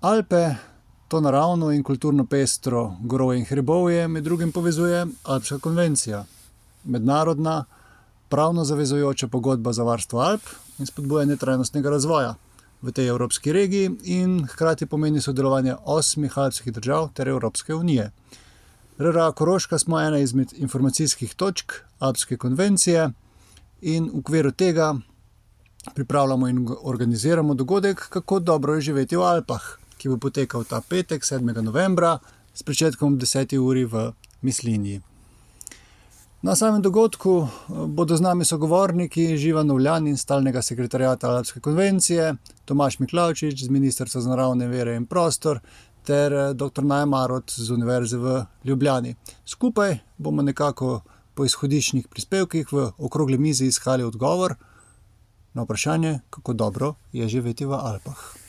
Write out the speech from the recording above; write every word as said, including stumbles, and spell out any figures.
Alpe, to naravno in kulturno pestro gorovje in hribovje, med drugim povezuje Alpska konvencija, mednarodna, pravno zavezujoča pogodba za varstvo Alp in spodbujanje trajnostnega razvoja v tej evropski regiji in hkrati pomeni sodelovanje osmih alpskih držav ter Evropske unije. R R A Koroška smo ena izmed informacijskih točk Alpske konvencije in v okviru tega pripravljamo in organiziramo dogodek Kako dobro je živeti v Alpah, ki bo potekal ta petek, sedmega novembra, s pričetkom ob deseti uri v Mislinji. Na samem dogodku bodo z nami sogovorniki Živan Novljan iz Stalnega sekretariata Alpske konvencije, Tomaž Miklavčič z Ministrstva za naravne vire in prostor ter doktor Naja Marot z Univerze v Ljubljani. Skupaj bomo nekako po izhodiščnih prispevkih v okrogli mizi iskali odgovor na vprašanje, kako dobro je živeti v Alpah.